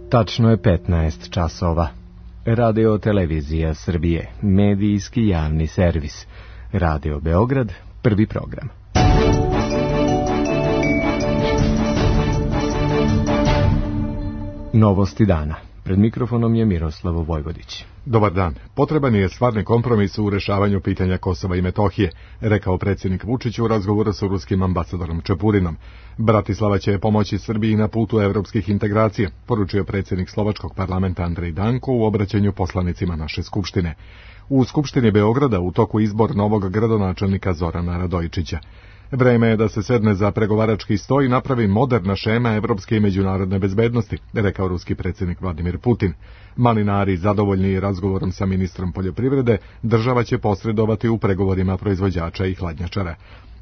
Tačno je 15 časova. Radio Televizija Srbije, medijski javni servis. Radio Beograd, prvi program. Novosti dana. Pred mikrofonom je Miroslav Vojvodić. Dobar dan. Potreban je stvarni kompromis u rešavanju pitanja Kosova i Metohije, rekao predsjednik Vučić u razgovoru sa ruskim ambasadorom Čepurinom. Bratislava će pomoći Srbiji na putu evropskih integracija, poručio predsjednik slovačkog parlamenta Andrej Danko u obraćanju poslanicima naše skupštine. U Skupštini Beograda u toku izbor novog gradonačelnika Zorana Radojičića. Vreme je da se sedne za pregovarački sto i napravi moderna šema evropske i međunarodne bezbednosti, rekao ruski predsjednik Vladimir Putin. Malinari, zadovoljni razgovorom sa ministrom poljoprivrede, država će posredovati u pregovorima proizvođača i hladnjačara.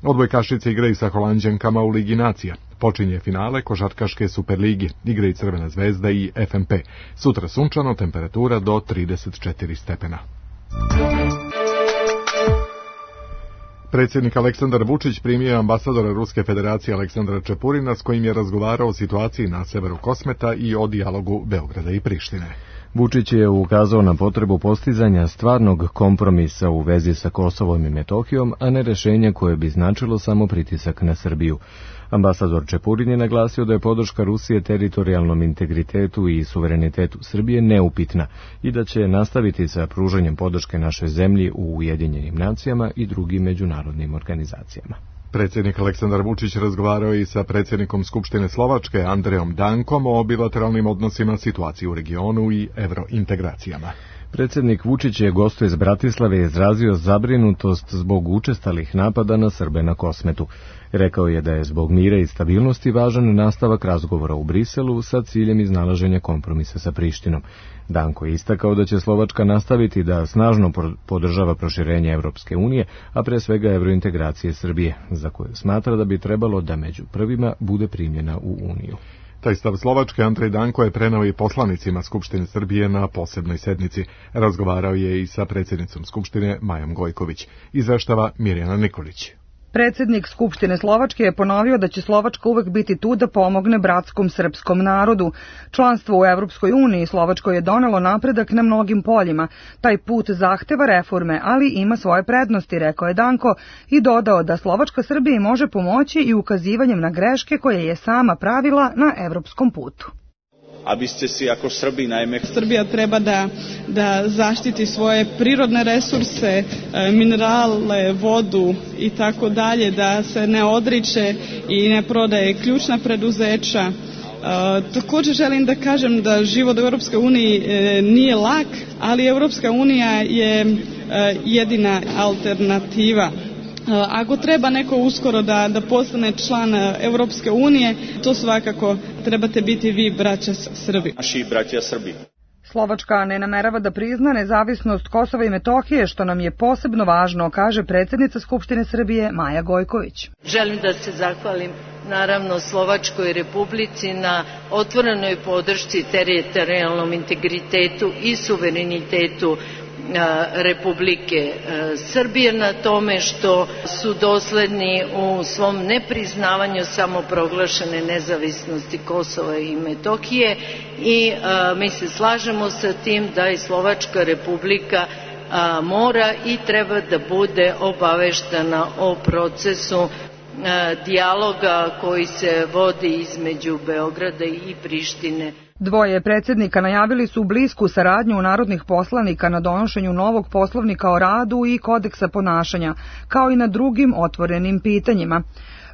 Odbojkašice igraju sa Holanđankama u Ligi nacija. Počinje finale košarkaške Superligi, igraju Crvena zvezda i FNP. Sutra sunčano, temperatura do 34 stepena. Predsjednik Aleksandar Vučić primio je ambasadora Ruske federacije Aleksandra Čepurina s kojim je razgovarao o situaciji na severu Kosmeta i o dijalogu Beograda i Prištine. Vučić je ukazao na potrebu postizanja stvarnog kompromisa u vezi sa Kosovom i Metohijom, a ne rešenja koje bi značilo samo pritisak na Srbiju. Ambasador Čepurin je naglasio da je podrška Rusije teritorijalnom integritetu i suverenitetu Srbije neupitna i da će nastaviti sa pružanjem podrške našoj zemlji u Ujedinjenim nacijama i drugim međunarodnim organizacijama. Predsjednik Aleksandar Vučić razgovarao i sa predsjednikom Skupštine Slovačke Andrejom Dankom o bilateralnim odnosima, situaciji u regionu i evrointegracijama. Predsjednik Vučić je gostu iz Bratislave izrazio zabrinutost zbog učestalih napada na Srbe na Kosmetu. Rekao je da je zbog mira i stabilnosti važan nastavak razgovora u Briselu sa ciljem iznalaženja kompromisa sa Prištinom. Danko je istakao da će Slovačka nastaviti da snažno podržava proširenje Evropske unije, a pre svega evrointegracije Srbije, za koje smatra da bi trebalo da među prvima bude primljena u Uniju. Taj stav Slovačke Andrej Danko je preneo i poslanicima Skupštine Srbije na posebnoj sednici. Razgovarao je i sa predsjednicom Skupštine Majom Gojković. Izveštava Mirjana Nikolić. Predsjednik Skupštine Slovačke je ponovio da će Slovačka uvek biti tu da pomogne bratskom srpskom narodu. Članstvo u Evropskoj uniji Slovačkoj je donelo napredak na mnogim poljima. Taj put zahteva reforme, ali ima svoje prednosti, rekao je Danko i dodao da Slovačka Srbiji može pomoći i ukazivanjem na greške koje je sama pravila na evropskom putu. Aby ste si ako Srbi najmä... Srbija treba da zaštiti svoje prirodne resurse, minerale, vodu i tako dalje, da se ne odriče i ne prodaje ključna preduzeća. Također želim da kažem da život u Europskoj uniji nije lak, ali Europska unija je jedina alternativa. Ako treba neko uskoro da postane član Europske unije, to svakako trebate biti vi, braća Srbi. Naši braća Srbi. Slovačka ne namerava da prizna nezavisnost Kosova i Metohije, što nam je posebno važno, kaže predsjednica Skupštine Srbije Maja Gojković. Želim da se zahvalim naravno Slovačkoj Republici na otvorenoj podršci teritorijalnom integritetu i suverenitetu Republike Srbije, na tome što su dosledni u svom nepriznavanju samoproglašene nezavisnosti Kosova i Metohije i mi se slažemo sa tim da i Slovačka Republika mora i treba da bude obaveštena o procesu dijaloga koji se vodi između Beograda i Prištine. Dvoje predsjednika najavili su blisku saradnju narodnih poslanika na donošenju novog poslovnika o radu i kodeksa ponašanja, kao i na drugim otvorenim pitanjima.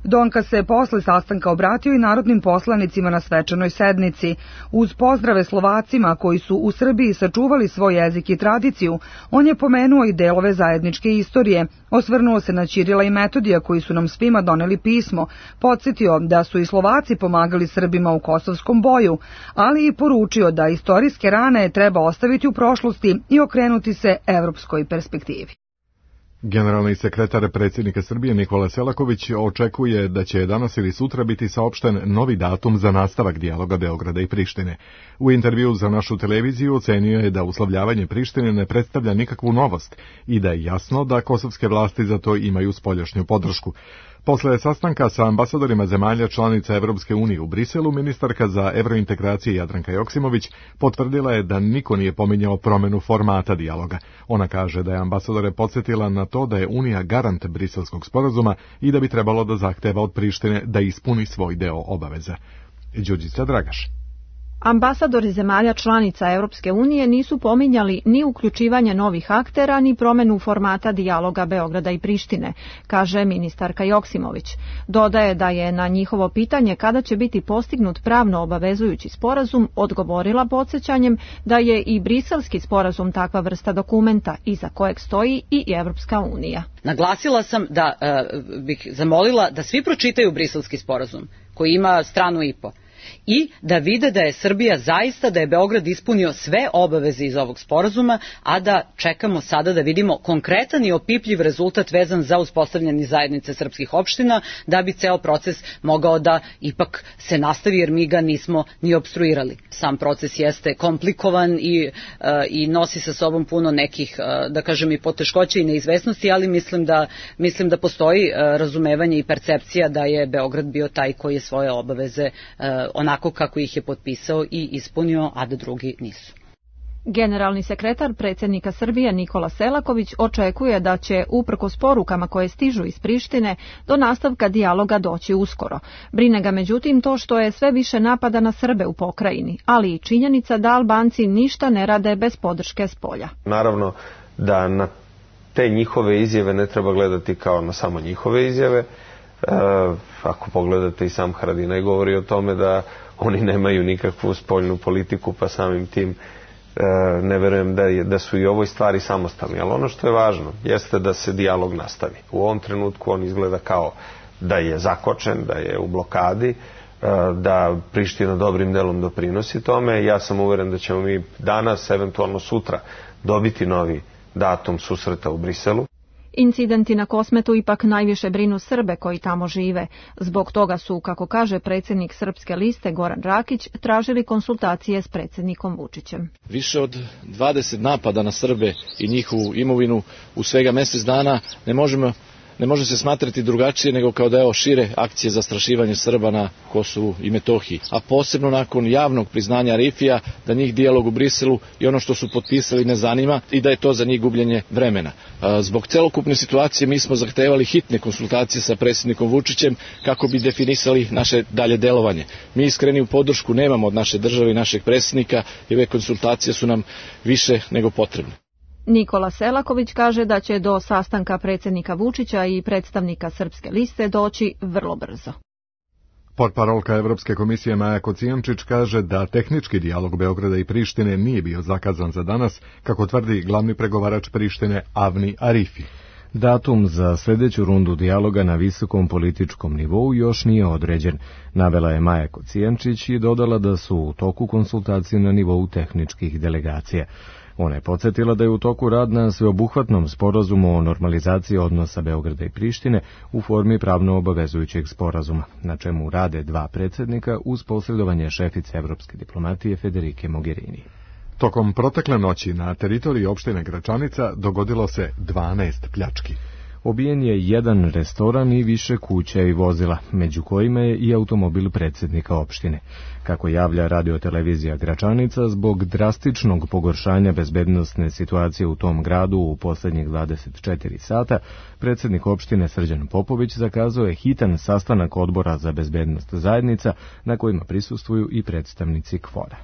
Donka se posle sastanka obratio i narodnim poslanicima na svečanoj sednici. Uz pozdrave Slovacima koji su u Srbiji sačuvali svoj jezik i tradiciju, on je pomenuo i delove zajedničke istorije, osvrnuo se na Ćirila i Metodija koji su nam svima doneli pismo, podsjetio da su i Slovaci pomagali Srbima u kosovskom boju, ali i poručio da istorijske rane treba ostaviti u prošlosti i okrenuti se evropskoj perspektivi. Generalni sekretar predsjednika Srbije Nikola Selaković očekuje da će danas ili sutra biti saopšten novi datum za nastavak dijaloga Beograda i Prištine. U intervju za našu televiziju ocenio je da uslovljavanje Prištine ne predstavlja nikakvu novost i da je jasno da kosovske vlasti za to imaju spoljašnju podršku. Posle sastanka sa ambasadorima zemalja članica Evropske unije u Briselu, ministarka za evrointegracije Jadranka Joksimović potvrdila je da niko nije pominjao promenu formata dijaloga. Ona kaže da je ambasadore podsjetila na to da je Unija garant Briselskog sporazuma i da bi trebalo da zahteva od Prištine da ispuni svoj deo obaveza. Đurđica Dragaš. Ambasadori zemalja članica Europske unije nisu pominjali ni uključivanje novih aktera, ni promenu formata dijaloga Beograda i Prištine, kaže ministarka Joksimović. Dodaje da je na njihovo pitanje kada će biti postignut pravno obavezujući sporazum odgovorila podsjećanjem da je i Briselski sporazum takva vrsta dokumenta iza kojeg stoji i Evropska unija. Naglasila sam da bih zamolila da svi pročitaju Briselski sporazum koji ima stranu i po. I da vide da je Srbija zaista, da je Beograd ispunio sve obaveze iz ovog sporazuma, a da čekamo sada da vidimo konkretan i opipljiv rezultat vezan za uspostavljanje zajednice srpskih opština, da bi ceo proces mogao da ipak se nastavi, jer mi ga nismo ni opstruirali. Sam proces jeste komplikovan i nosi sa sobom puno nekih, da kažem, i poteškoća i neizvesnosti, ali mislim da postoji razumevanje i percepcija da je Beograd bio taj koji je svoje obaveze onako kako ih je potpisao i ispunio, a da drugi nisu. Generalni sekretar predsjednika Srbije Nikola Selaković očekuje da će, uprkos porukama koje stižu iz Prištine, do nastavka dijaloga doći uskoro. Brine ga međutim to što je sve više napada na Srbe u pokrajini, ali i činjenica da Albanci ništa ne rade bez podrške spolja. Naravno da na te njihove izjave ne treba gledati kao na samo njihove izjave. Ako pogledate, i sam Haradinaj govori o tome da oni nemaju nikakvu spoljnu politiku, pa samim tim ne verujem da su i ovoj stvari samostalni. Ali ono što je važno jeste da se dijalog nastavi. U ovom trenutku on izgleda kao da je zakočen, da je u blokadi, da Priština dobrim delom doprinosi tome. Ja sam uveren da ćemo mi danas, eventualno sutra, dobiti novi datum susreta u Briselu. Incidenti na Kosmetu ipak najviše brinu Srbe koji tamo žive. Zbog toga su, kako kaže predsjednik Srpske liste Goran Rakić, tražili konsultacije s predsjednikom Vučićem. Više od 20 napada na Srbe i njihovu imovinu u svega mjesec dana ne može se smatrati drugačije nego kao deo šire akcije zastrašivanja Srba na Kosovu i Metohiji. A posebno nakon javnog priznanja Rifija da njih dijalog u Briselu i ono što su potpisali ne zanima i da je to za njih gubljenje vremena. Zbog celokupne situacije mi smo zahtevali hitne konsultacije sa predsjednikom Vučićem kako bi definisali naše dalje delovanje. Mi iskreni u podršku nemamo od naše države i našeg predsjednika i ove konsultacije su nam više nego potrebne. Nikola Selaković kaže da će do sastanka predsjednika Vučića i predstavnika Srpske liste doći vrlo brzo. Portparolka Evropske komisije Maja Kocijančić kaže da tehnički dijalog Beograda i Prištine nije bio zakazan za danas, kako tvrdi glavni pregovarač Prištine Avni Arifi. Datum za sljedeću rundu dijaloga na visokom političkom nivou još nije određen, navela je Maja Kocijančić i dodala da su u toku konsultacije na nivou tehničkih delegacija. Ona je podsjetila da je u toku rad na sveobuhvatnom sporazumu o normalizaciji odnosa Beograda i Prištine u formi pravno obavezujućeg sporazuma, na čemu rade dva predsjednika uz posredovanje šefice evropske diplomatije Federike Mogherini. Tokom protekle noći na teritoriji opštine Gračanica dogodilo se 12 pljački. Obijen je jedan restoran i više kuća i vozila, među kojima je i automobil predsjednika opštine. Kako javlja radiotelevizija Gračanica, zbog drastičnog pogoršanja bezbednosne situacije u tom gradu u posljednjih 24 sata, predsjednik opštine Srđan Popović zakazao je hitan sastanak odbora za bezbednost zajednica, na kojima prisustvuju i predstavnici KFOR-a.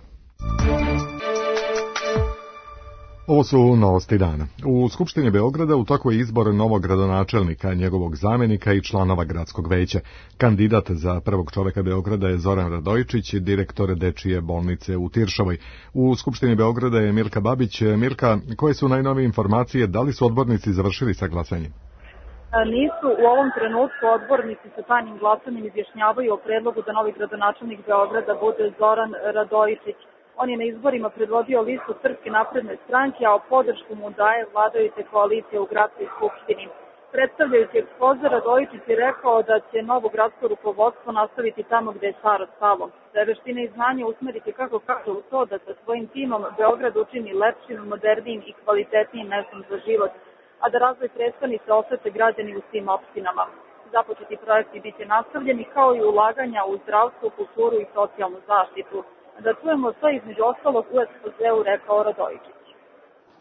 Ovo su novosti dana. U Skupštini Beograda u toku je izbor novog gradonačelnika, njegovog zamjenika i članova gradskog veća. Kandidat za prvog čoveka Beograda je Zoran Radojičić, direktor Dečije bolnice u Tiršovoj. U Skupštini Beograda je Milka Babić. Milka, koje su najnovije informacije, da li su odbornici završili sa glasanjem? Nisu. U ovom trenutku odbornici sa tajnim glasanjem izjašnjavaju o predlogu da novi gradonačelnik Beograda bude Zoran Radojičić. On je na izborima predvodio listu Srpske napredne stranke, a o podršku mu daje vladajuće koalicije u gradskoj skupštini. Predstavljajući ekspoze, Radojičić je rekao da će novo gradsko rukovodstvo nastaviti tamo gde je staro stalo. Da je veštine i znanje usmeriti, kako kaže, u to da sa svojim timom Beograd učini lepšim, modernijim i kvalitetnijim mestom za život, a da razvoj prestonice osete građani u svim opštinama. Započeti projekti biće nastavljeni kao i ulaganja u zdravstvo, kulturu i socijalnu zaštitu. Da čujemo što između ostalog u ekspozeu rekao Radojičić.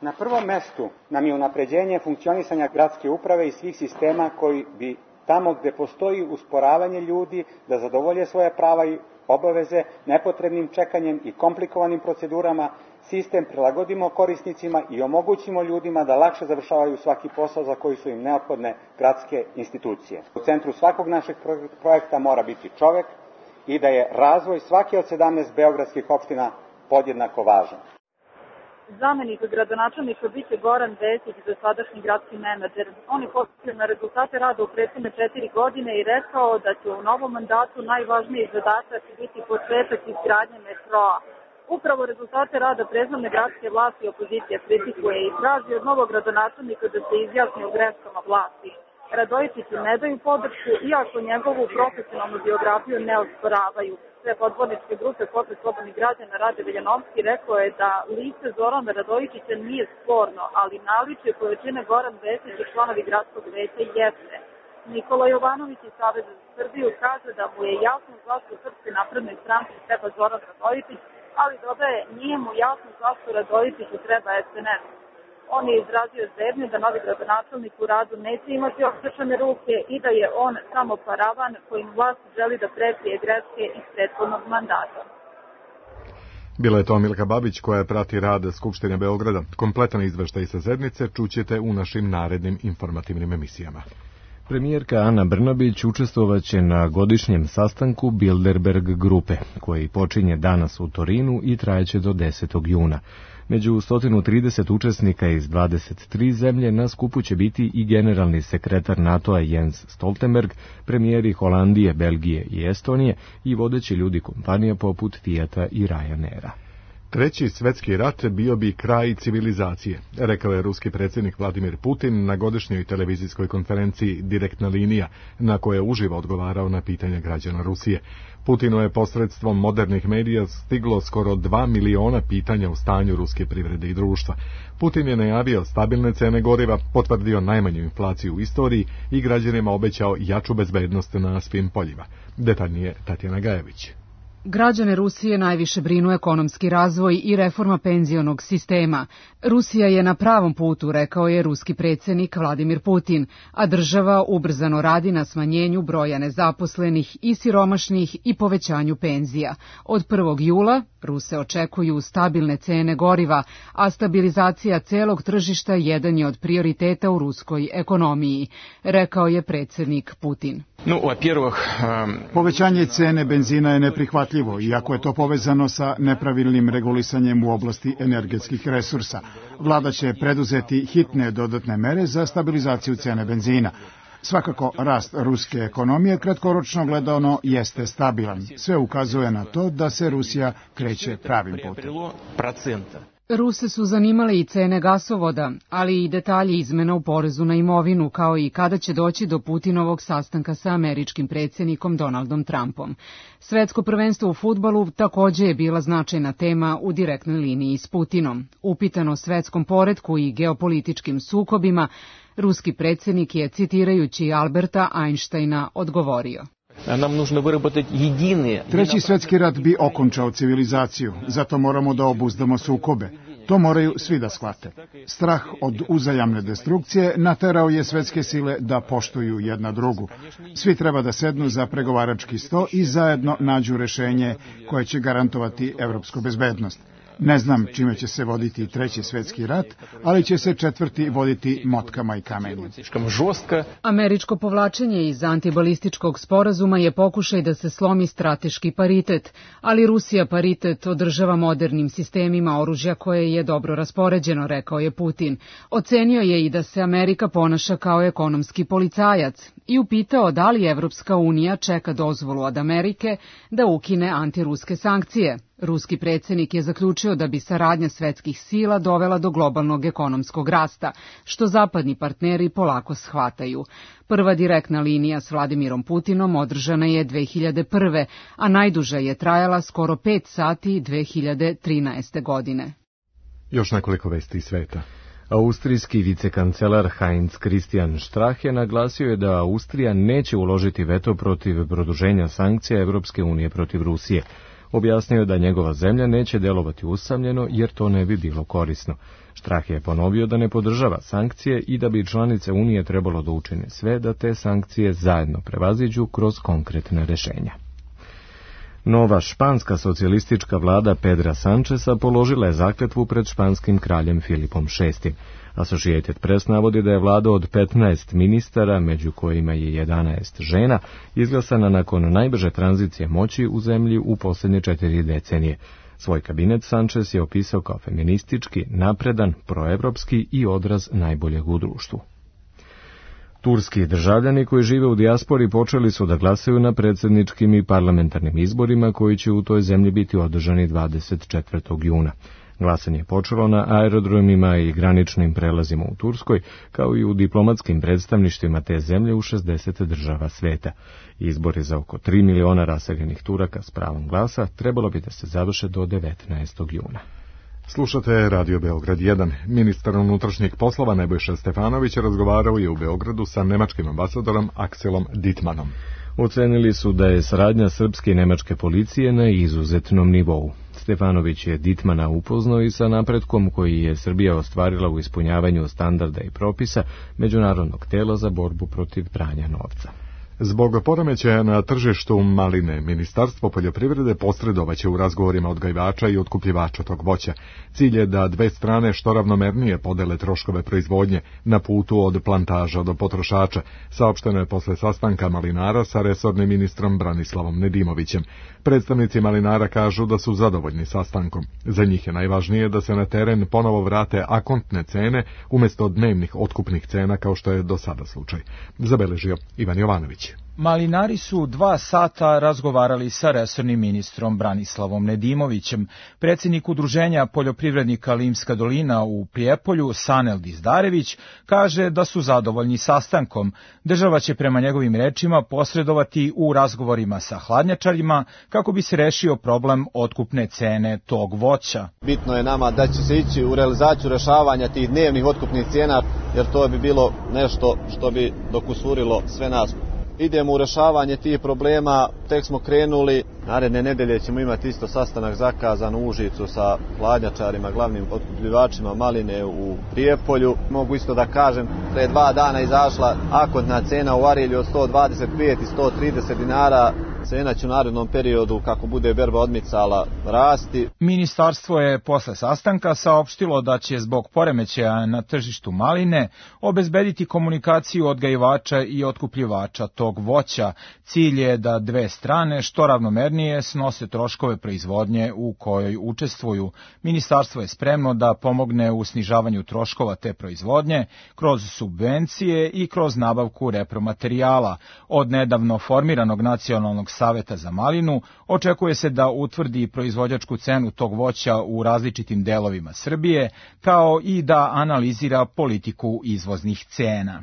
Na prvom mestu nam je unapređenje funkcionisanja gradske uprave i svih sistema koji bi tamo gde postoji usporavanje ljudi da zadovolje svoje prava i obaveze nepotrebnim čekanjem i komplikovanim procedurama, sistem prilagodimo korisnicima i omogućimo ljudima da lakše završavaju svaki posao za koji su im neophodne gradske institucije. U centru svakog našeg projekta mora biti čovek i da je razvoj svake od 17 beogradskih opština podjednako važan. Zamenik gradonačelnika biće Goran Vesić, dosadašnji gradski menadžer. On je posjetio na rezultate rada u prethodne 4 godine i rekao da će u novom mandatu najvažniji zadatak biti početak izgradnje metroa. Upravo rezultate rada prethodne gradske vlasti opozicija kritikuje i traži od novog gradonačelnika da se izjasni o greškama vlasti. Radojičiću ne daju podršku, iako njegovu profesionalnu biografiju ne osporavaju. Šef odborničke grupe Pokret slobodnih građana Rade Veljanovski rekao je da lice Zorana Radojičića nije sporno, ali naličje koje čine Goran Vesić i članovi gradskog veća jeste. Nikola Jovanović iz Saveza za Srbiju kaže da mu je jasno zašto Srpskoj naprednoj stranci treba Zoran Radojičić, ali dodaje nije mu jasno zašto Radojičiću treba SNS. On je izrazio zebnju da novi gradonačelnik u radu neće imati okrečene ruke i da je on samo paravan kojim vlast želi da prekrije greške iz prethodnog mandata. Bila je to Milka Babić koja prati rad Skupštine Beograda. Kompletan izveštaj sa sednice čućete u našim narednim informativnim emisijama. Premijerka Ana Brnabić učestvovaće na godišnjem sastanku Bilderberg grupe, koji počinje danas u Torinu i trajeće do 10. juna. Među 130 učesnika iz 23 zemlje na skupu će biti i generalni sekretar NATO-a Jens Stoltenberg, premijeri Holandije, Belgije i Estonije i vodeći ljudi kompanija poput Fijata i Ryanaira. Treći svetski rat bio bi kraj civilizacije, rekao je ruski predsjednik Vladimir Putin na godišnjoj televizijskoj konferenciji Direktna linija, na koje je uživo odgovarao na pitanja građana Rusije. Putinu je posredstvom modernih medija stiglo skoro 2 miliona pitanja o stanju ruske privrede i društva. Putin je najavio stabilne cene goriva, potvrdio najmanju inflaciju u istoriji i građanima obećao jaču bezbednost na svim poljima. Detaljnije Tatjana Gajević. Građane Rusije najviše brinu ekonomski razvoj i reforma penzionog sistema. Rusija je na pravom putu, rekao je ruski predsjednik Vladimir Putin, a država ubrzano radi na smanjenju broja nezaposlenih i siromašnih i povećanju penzija. Od 1. jula Ruse očekuju stabilne cene goriva, a stabilizacija celog tržišta jedan je od prioriteta u ruskoj ekonomiji, rekao je predsjednik Putin. Povećanje cene benzina je neprihvatljivo, iako je to povezano sa nepravilnim regulisanjem u oblasti energetskih resursa. Vlada će preduzeti hitne dodatne mere za stabilizaciju cene benzina. Svakako, rast ruske ekonomije kratkoročno gledano jeste stabilan. Sve ukazuje na to da se Rusija kreće pravim putem. Ruse su zanimale i cene gasovoda, ali i detalji izmena u porezu na imovinu, kao i kada će doći do Putinovog sastanka sa američkim predsjednikom Donaldom Trumpom. Svetsko prvenstvo u fudbalu također je bila značajna tema u direktnoj liniji s Putinom. Upitan o svetskom poretku i geopolitičkim sukobima, ruski predsjednik je, citirajući Alberta Einsteina, odgovorio. Treći svjetski rat bi okončao civilizaciju, zato moramo da obuzdamo sukobe. To moraju svi da shvate. Strah od uzajamne destrukcije naterao je svetske sile da poštuju jedna drugu. Svi treba da sednu za pregovarački sto i zajedno nađu rešenje koje će garantovati evropsku bezbednost. Ne znam čime će se voditi treći svjetski rat, ali će se četvrti voditi motkama i kamenjem. Američko povlačenje iz antibalističkog sporazuma je pokušaj da se slomi strateški paritet, ali Rusija paritet održava modernim sistemima oružja koje je dobro raspoređeno, rekao je Putin. Ocenio je i da se Amerika ponaša kao ekonomski policajac i upitao da li Evropska unija čeka dozvolu od Amerike da ukine antiruske sankcije. Ruski predsjednik je zaključio da bi saradnja svetskih sila dovela do globalnog ekonomskog rasta, što zapadni partneri polako shvataju. Prva direktna linija s Vladimirom Putinom održana je 2001. a najduža je trajala skoro 5 sati 2013. godine. Još nekoliko vesti iz sveta. Austrijski vicekancelar Heinz Christian Strache naglasio je da Austrija neće uložiti veto protiv produženja sankcija Evropske unije protiv Rusije. Objasnio je da njegova zemlja neće delovati usamljeno jer to ne bi bilo korisno. Strache je ponovio da ne podržava sankcije i da bi članice Unije trebalo da učine sve da te sankcije zajedno prevaziđu kroz konkretne rešenja. Nova španska socijalistička vlada Pedra Sancheza položila je zakletvu pred španskim kraljem Filipom VI. Associated Press navodi da je vlada od 15 ministara, među kojima je 11 žena, izglasana nakon najbrže tranzicije moći u zemlji u posljednje 4 decenije. Svoj kabinet Sanchez je opisao kao feministički, napredan, proevropski i odraz najboljeg u društvu. Turski državljani koji žive u dijaspori počeli su da glasaju na predsjedničkim i parlamentarnim izborima koji će u toj zemlji biti održani 24. juna. Glasanje je počelo na aerodromima i graničnim prelazima u Turskoj, kao i u diplomatskim predstavništvima te zemlje u 60 država sveta. Izbori za oko 3 miliona raseljenih Turaka s pravom glasa trebalo bi da se završe do 19. juna. Slušate Radio Beograd 1. Ministar unutrašnjih poslova Nebojša Stefanović razgovarao je u Beogradu sa nemačkim ambasadorom Akselom Dittmanom. Ocenili su da je saradnja srpske i nemačke policije na izuzetnom nivou. Stefanović je Dittmana upoznao i sa napretkom koji je Srbija ostvarila u ispunjavanju standarda i propisa Međunarodnog tela za borbu protiv pranja novca. Zbog poremećaja na tržištu maline, Ministarstvo poljoprivrede posredovaće u razgovorima odgajivača i otkupljivača tog voća. Cilj je da dve strane što ravnomernije podele troškove proizvodnje na putu od plantaža do potrošača, saopšteno je posle sastanka malinara sa resornim ministrom Branislavom Nedimovićem. Predstavnici malinara kažu da su zadovoljni sastankom. Za njih je najvažnije da se na teren ponovo vrate akontne cene umjesto dnevnih otkupnih cena kao što je do sada slučaj. Zabeležio Ivan Jovanović. Malinari su 2 sata razgovarali sa resornim ministrom Branislavom Nedimovićem. Predsjednik udruženja poljoprivrednika Limska dolina u Prijepolju, Sanel Dizdarević, kaže da su zadovoljni sastankom. Država će prema njegovim rečima posredovati u razgovorima sa hladnjačarima kako bi se rešio problem otkupne cene tog voća. Bitno je nama da će se ići u realizaciju rešavanja tih dnevnih otkupnih cijena, jer to bi bilo nešto što bi dokusurilo sve nas. Idemo u rešavanje tih problema, tek smo krenuli, naredne nedelje ćemo imati isto sastanak zakazan u Užicu sa hladnjačarima, glavnim otkupljivačima maline u Prijepolju. Mogu isto da kažem, pre 2 dana izašla akontna cena u Arilju od 125 i 130 dinara. Cena će u narednom periodu, kako bude berba odmicala, rasti. Ministarstvo je posle sastanka saopštilo da će zbog poremećaja na tržištu maline obezbediti komunikaciju odgajivača i otkupljivača tog voća. Cilj je da dve strane što ravnomernije snose troškove proizvodnje u kojoj učestvuju. Ministarstvo je spremno da pomogne u snižavanju troškova te proizvodnje kroz subvencije i kroz nabavku repromaterijala. Od nedavno formiranog nacionalnog Saveta za malinu očekuje se da utvrdi proizvođačku cenu tog voća u različitim delovima Srbije, kao i da analizira politiku izvoznih cena.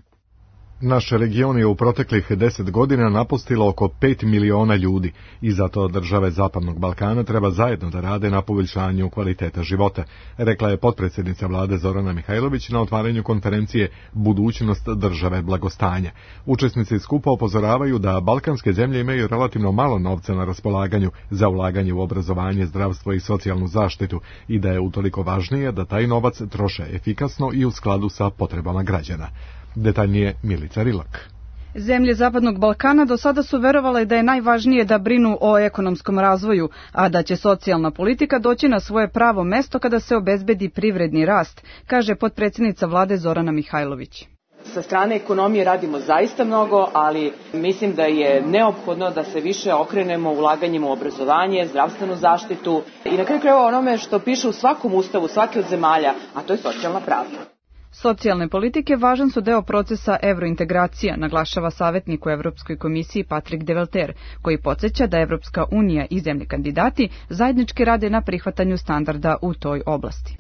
Naš region je u proteklih 10 godina napustilo oko 5 miliona ljudi i zato države Zapadnog Balkana treba zajedno da rade na poboljšanju kvaliteta života, rekla je potpredsjednica vlade Zorana Mihajlović na otvaranju konferencije Budućnost države blagostanja. Učesnici skupa upozoravaju da balkanske zemlje imaju relativno malo novca na raspolaganju za ulaganje u obrazovanje, zdravstvo i socijalnu zaštitu i da je utoliko važnije da taj novac troše efikasno i u skladu sa potrebama građana. Detaljnije Milica Rilak. Zemlje Zapadnog Balkana do sada su verovale da je najvažnije da brinu o ekonomskom razvoju, a da će socijalna politika doći na svoje pravo mesto kada se obezbedi privredni rast, kaže potpredsjednica vlade Zorana Mihajlović. Sa strane ekonomije radimo zaista mnogo, ali mislim da je neophodno da se više okrenemo ulaganjem u obrazovanje, zdravstvenu zaštitu i na kraju krajeva onome što piše u svakom ustavu svake od zemalja, a to je socijalna pravda. Socijalne politike važan su deo procesa evrointegracija, naglašava savjetnik u Evropskoj komisiji Patrik Develter, koji podsjeća da Evropska unija i zemlje kandidati zajednički rade na prihvatanju standarda u toj oblasti.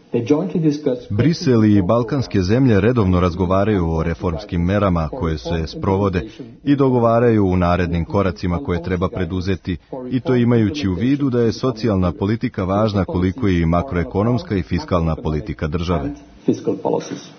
Brisel i balkanske zemlje redovno razgovaraju o reformskim merama koje se sprovode i dogovaraju u narednim koracima koje treba preduzeti, i to imajući u vidu da je socijalna politika važna koliko i makroekonomska i fiskalna politika države. fiscal policies.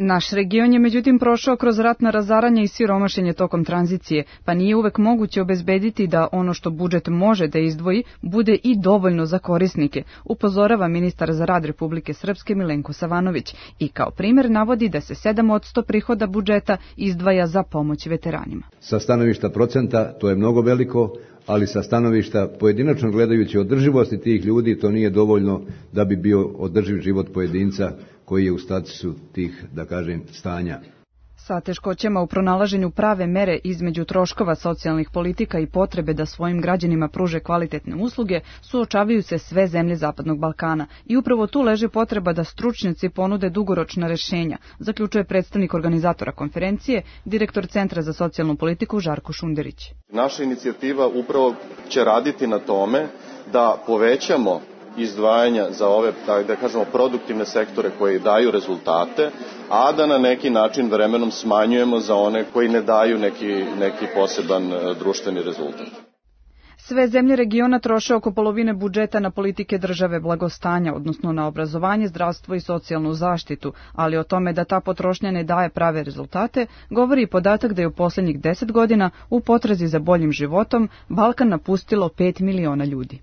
Naš region je međutim prošao kroz ratna razaranja i siromašenje tokom tranzicije, pa nije uvek moguće obezbediti da ono što budžet može da izdvoji bude i dovoljno za korisnike, upozorava ministar za rad Republike Srpske Milenko Savanović i kao primer navodi da se 7% prihoda budžeta izdvaja za pomoć veteranima. Sa stanovišta procenta to je mnogo veliko, ali sa stanovišta pojedinačno gledajući održivosti tih ljudi to nije dovoljno da bi bio održiv život pojedinca koji je u statusu tih, da kažem, stanja. Sa teškoćama u pronalaženju prave mere između troškova socijalnih politika i potrebe da svojim građanima pruže kvalitetne usluge suočavaju se sve zemlje Zapadnog Balkana i upravo tu leži potreba da stručnjaci ponude dugoročna rešenja, zaključuje predstavnik organizatora konferencije, direktor Centra za socijalnu politiku Žarko Šunderić. Naša inicijativa upravo će raditi na tome da povećamo izdvajanja za ove, da kažemo, produktivne sektore koji daju rezultate, a da na neki način vremenom smanjujemo za one koji ne daju neki poseban društveni rezultat. Sve zemlje regiona troše oko polovine budžeta na politike države blagostanja, odnosno na obrazovanje, zdravstvo i socijalnu zaštitu, ali o tome da ta potrošnja ne daje prave rezultate, govori i podatak da je u posljednjih 10 godina u potrazi za boljim životom Balkan napustilo 5 miliona ljudi.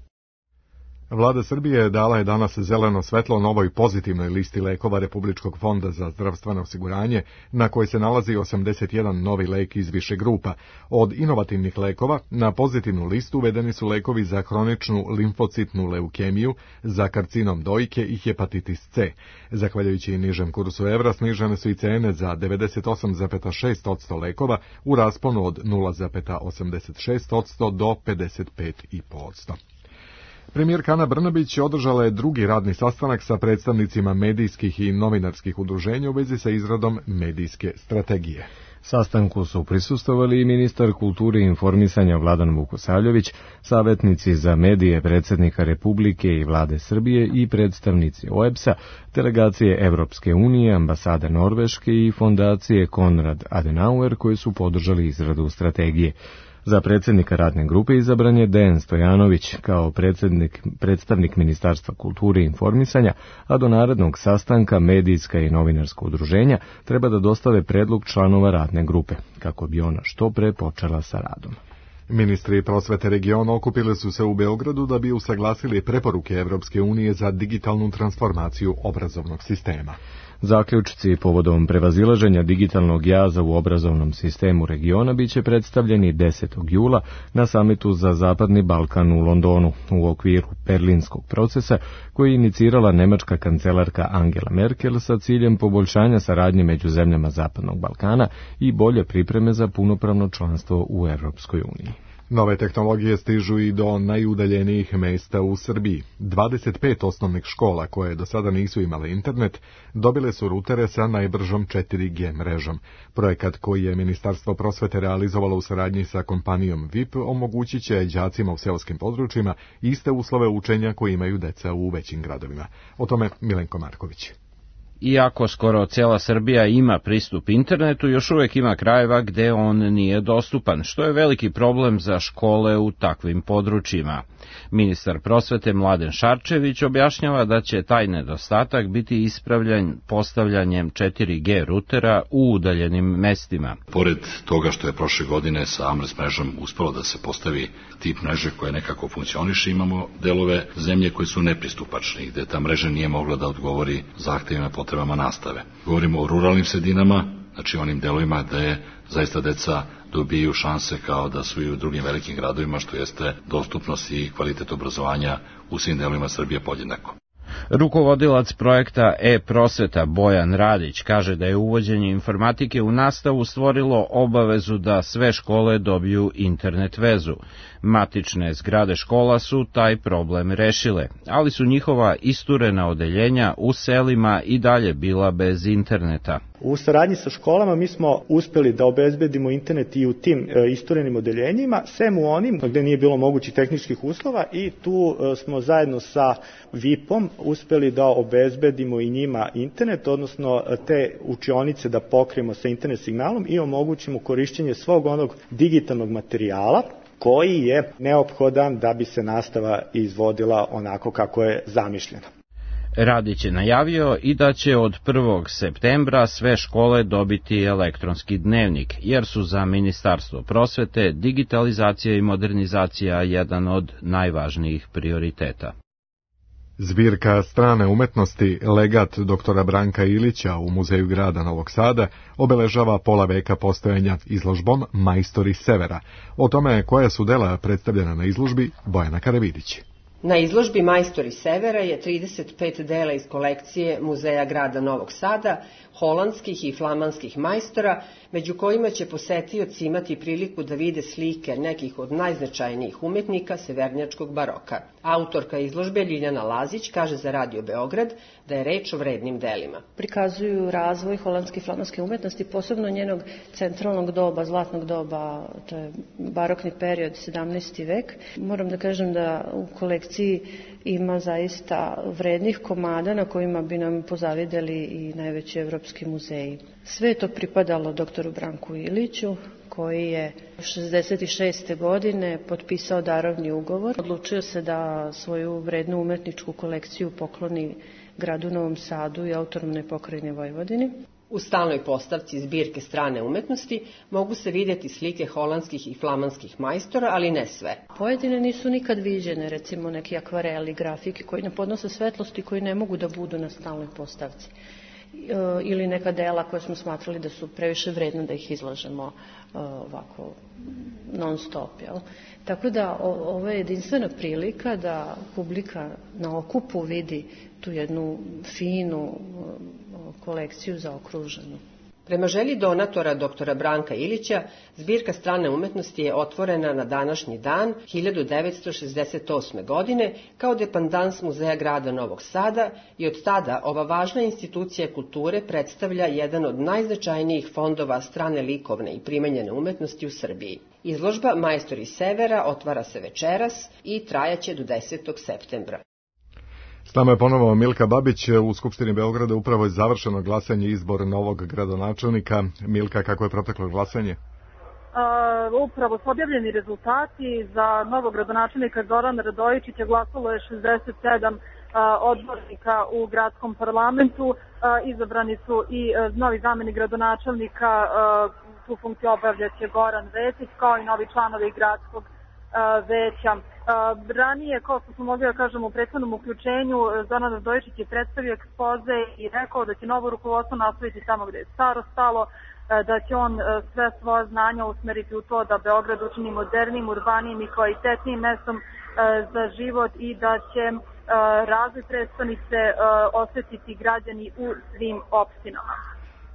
Vlada Srbije dala je danas zeleno svetlo novoj pozitivnoj listi lekova Republičkog fonda za zdravstveno osiguranje, na kojoj se nalazi 81 novi lek iz više grupa. Od inovativnih lekova na pozitivnu listu uvedeni su lekovi za hroničnu limfocitnu leukemiju, za karcinom dojke i hepatitis C. Zahvaljujući nižem kursu evra snižene su i cene za 98,6% lekova u rasponu od 0,86% do 55,5%. Premijerka Ana Brnabić održala je drugi radni sastanak sa predstavnicima medijskih i novinarskih udruženja u vezi sa izradom medijske strategije. Sastanku su prisustvovali i ministar kulture i informisanja Vladan Vukosavljević, savjetnici za medije predsjednika Republike i Vlade Srbije i predstavnici OEBS-a, delegacije Evropske unije, ambasade Norveške i fondacije Konrad Adenauer koji su podržali izradu strategije. Za predsjednika radne grupe izabran je Dejan Stojanović kao predstavnik Ministarstva kulture i informisanja, a do narednog sastanka medijska i novinarska udruženja treba da dostave predlog članova radne grupe, kako bi ona što pre počela sa radom. Ministri prosvete regiona okupili su se u Beogradu da bi usaglasili preporuke Evropske unije za digitalnu transformaciju obrazovnog sistema. Zaključci povodom prevazilaženja digitalnog jaza u obrazovnom sistemu regiona biće predstavljeni 10. jula na samitu za Zapadni Balkan u Londonu u okviru berlinskog procesa koji je inicirala nemačka kancelarka Angela Merkel sa ciljem poboljšanja saradnje među zemljama Zapadnog Balkana i bolje pripreme za punopravno članstvo u Evropskoj uniji. Nove tehnologije stižu i do najudaljenijih mesta u Srbiji. 25 osnovnih škola koje do sada nisu imale internet dobile su rutere sa najbržom 4G mrežom. Projekat koji je Ministarstvo prosvete realizovalo u saradnji sa kompanijom VIP omogućit će đacima u seoskim područjima iste uslove učenja koje imaju deca u većim gradovima. O tome Milenko Marković. Iako skoro cijela Srbija ima pristup internetu, još uvijek ima krajeva gde on nije dostupan, što je veliki problem za škole u takvim područjima. Ministar prosvete Mladen Šarčević objašnjava da će taj nedostatak biti ispravljen postavljanjem 4G rutera u udaljenim mestima. Pored toga što je prošle godine sa AMRES mrežom uspelo da se postavi tip mreže koja nekako funkcioniše, imamo delove zemlje koji su nepristupačni, gde ta mreža nije mogla da odgovori zahtevima potrebama nastave. Govorimo o ruralnim sredinama, znači onim delovima gde zaista deca dobiju šanse kao da su i u drugim velikim gradovima, što jeste dostupnost i kvalitet obrazovanja u svim delovima Srbije podjednako. Rukovodilac projekta e-prosveta Bojan Radić kaže da je uvođenje informatike u nastavu stvorilo obavezu da sve škole dobiju internet vezu. Matične zgrade škola su taj problem rešile, ali su njihova isturena odeljenja u selima i dalje bila bez interneta. U saradnji sa školama mi smo uspeli da obezbedimo internet i u tim isturenim odeljenjima, sem u onim gde nije bilo mogućih tehničkih uslova, i tu smo zajedno sa VIP-om uspeli da obezbedimo i njima internet, odnosno te učionice da pokrijemo sa internet signalom i omogućimo korišćenje svog onog digitalnog materijala koji je neophodan da bi se nastava izvodila onako kako je zamišljena. Radić je najavio i da će od 1. septembra sve škole dobiti elektronski dnevnik, jer su za Ministarstvo prosvete digitalizacija i modernizacija jedan od najvažnijih prioriteta. Zbirka strane umetnosti Legat doktora Branka Ilića u Muzeju grada Novog Sada obeležava pola veka postojanja izložbom Majstori Severa. O tome koja su dela predstavljena na izložbi Bojana Karavidić. Na izložbi Majstori Severa je 35 dela iz kolekcije Muzeja grada Novog Sada, holandskih i flamanskih majstora, među kojima će posetioci imati priliku da vide slike nekih od najznačajnijih umetnika severnjačkog baroka. Autorka izložbe Ljiljana Lazić kaže za Radio Beograd da je reč o vrednim delima. Prikazuju razvoj holandske i flamanske umetnosti, posebno njenog centralnog doba, zlatnog doba, to je barokni period, 17. vek. Moram da kažem da u kolekciji ima zaista vrednih komada na kojima bi nam pozavideli i najveći evropski muzeji. Sve je to pripadalo doktoru Branku Iliću, koji je 66. godine potpisao darovni ugovor. Odlučio se da svoju vrednu umetničku kolekciju pokloni gradu Novom Sadu i autonomnoj pokrajini Vojvodini. U stalnoj postavci zbirke strane umetnosti mogu se vidjeti slike holandskih i flamanskih majstora, ali ne sve. Pojedine nisu nikad viđene, recimo neki akvareli, grafike koji ne podnose svetlosti, koji ne mogu da budu na stalnoj postavci. Ili neka dela koje smo smatrali da su previše vredne da ih izlažemo ovako non stop. Jel? Tako da ovo je jedinstvena prilika da publika na okupu vidi tu jednu finu kolekciju zaokruženu. Prema želji donatora doktora Branka Ilića, zbirka strane umetnosti je otvorena na današnji dan 1968. godine kao dependans Muzeja grada Novog Sada i od tada ova važna institucija kulture predstavlja jedan od najznačajnijih fondova strane likovne i primenjene umetnosti u Srbiji. Izložba Majstori Severa otvara se večeras i trajaće do 10. septembra. S nama je ponovo Milka Babić. U Skupštini Beograda upravo je završeno glasanje i izbor novog gradonačelnika. Milka, kako je proteklo glasanje? Upravo su objavljeni rezultati. Za novog gradonačelnika Zorana Radojičića glasalo je 67 odbornika u gradskom parlamentu. Izabrani su i novi zamenik gradonačelnika, tu funkciju obavljaće Goran Vesić, kao i novi članovi gradskog veća. Ranije, kao što smo mogli da kažemo u prethodnom uključenju, Zoran Radojičić je predstavio ekspoze i rekao da će novo rukovodstvo nastaviti tamo gde je staro stalo, da će on sve svoje znanja usmeriti u to da Beograd učini modernim, urbanijim i kvalitetnijim mestom za život i da će razvoj prestonice osetiti građani u svim opštinama.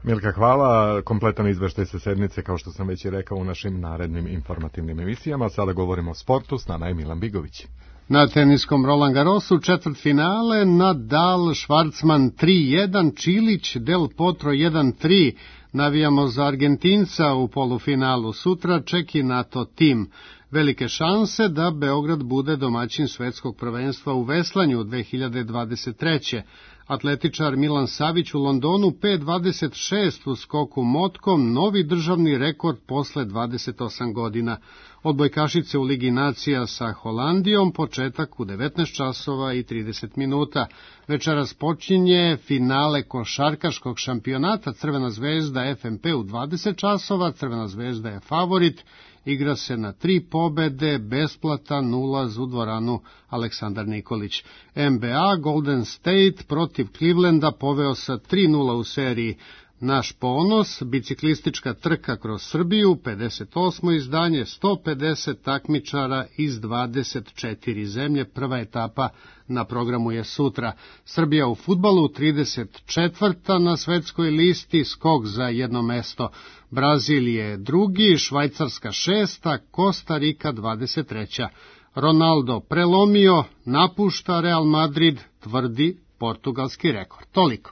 Milka, hvala. Kompletan izveštaj sa sednice, kao što sam već i rekao, u našim narednim informativnim emisijama. Sada govorimo o sportu, s nama je Milan Bigović. Na teniskom Roland Garrosu četvrtfinale, Nadal, Švarcman 3-1, Čilić, Del Potro 1-3. Navijamo za Argentinca u polufinalu. Sutra Ček i NATO tim. Velike šanse da Beograd bude domaćin svetskog prvenstva u veslanju 2023. Atletičar Milan Savić u Londonu 5.26 u skoku motkom, novi državni rekord posle 28 godina. Odbojkašice u Ligi nacija sa Holandijom, početak u 19 časova i 30 minuta. Večeras počinje finale košarkaškog šampionata. Crvena zvezda FNP u 20 časova, Crvena zvezda je favorit. Igra se na 3 pobede, besplatan ulaz u dvoranu Aleksandar Nikolić. NBA Golden State protiv Clevelanda poveo sa 3-0 u seriji. Naš ponos, biciklistička trka kroz Srbiju, 58. izdanje, 150 takmičara iz 24 zemlje. Prva etapa na programu je sutra. Srbija u fudbalu 34. na svetskoj listi, skok za jedno mesto. Brazil je drugi, Švajcarska 6. Kosta Rika 23. Ronaldo prelomio, napušta Real Madrid, tvrdi portugalski rekord. Toliko.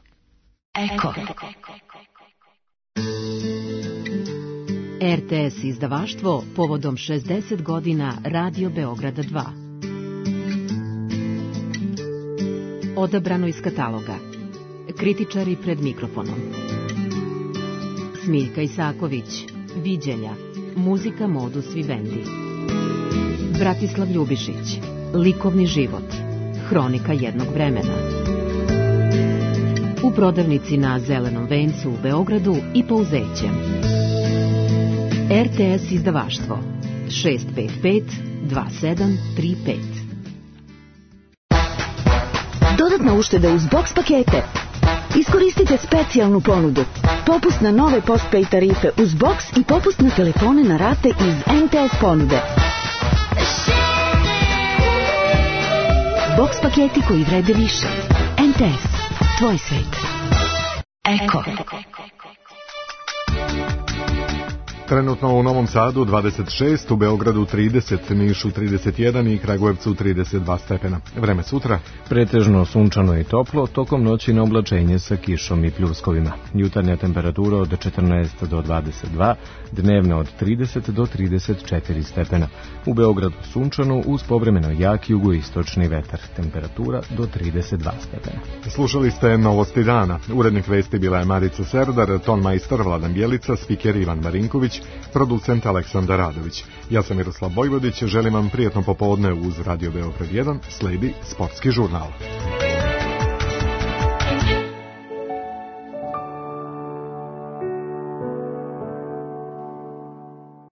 Eko. RTS izdavaštvo povodom 60 godina Radio Beograda 2. Odabrano iz kataloga. Kritičari pred mikrofonom. Smiljka Isaković, Viđelja, muzika Modus Vivendi. Bratislav Ljubišić, likovni život, hronika jednog vremena. u prodavnici na Zelenom vencu u Beogradu i Pouzećem. RTS izdavaštvo 655 2735. Dodatna ušteda uz box pakete. Iskoristite specijalnu ponudu. Popust na nove postpaid tarife uz box i popust na telefone na rate iz MTS ponude. Box paketi koji vrede više. MTS. Tvoj svet. Eko. Trenutno u Novom Sadu 26, u Beogradu 30, Nišu 31 i Kragujevcu 32 stepena. Vreme sutra. Pretežno sunčano i toplo, tokom noći na oblačenje sa kišom i pljuskovima. Jutarnja temperatura od 14 do 22, dnevna od 30 do 34 stepena. U Beogradu sunčano uz povremeno jak jugoistočni vetar. Temperatura do 32 stepena. Slušali ste Novosti dana. Urednik vesti bila je Marica Serdar, tonmajstor Vladan Bjelica, spiker Ivan Marinković, producent Aleksandar Radović. Ja sam Miroslav Vojvodić, želim vam prijatno popodne uz Radio Beograd 1, sledi sportski žurnal.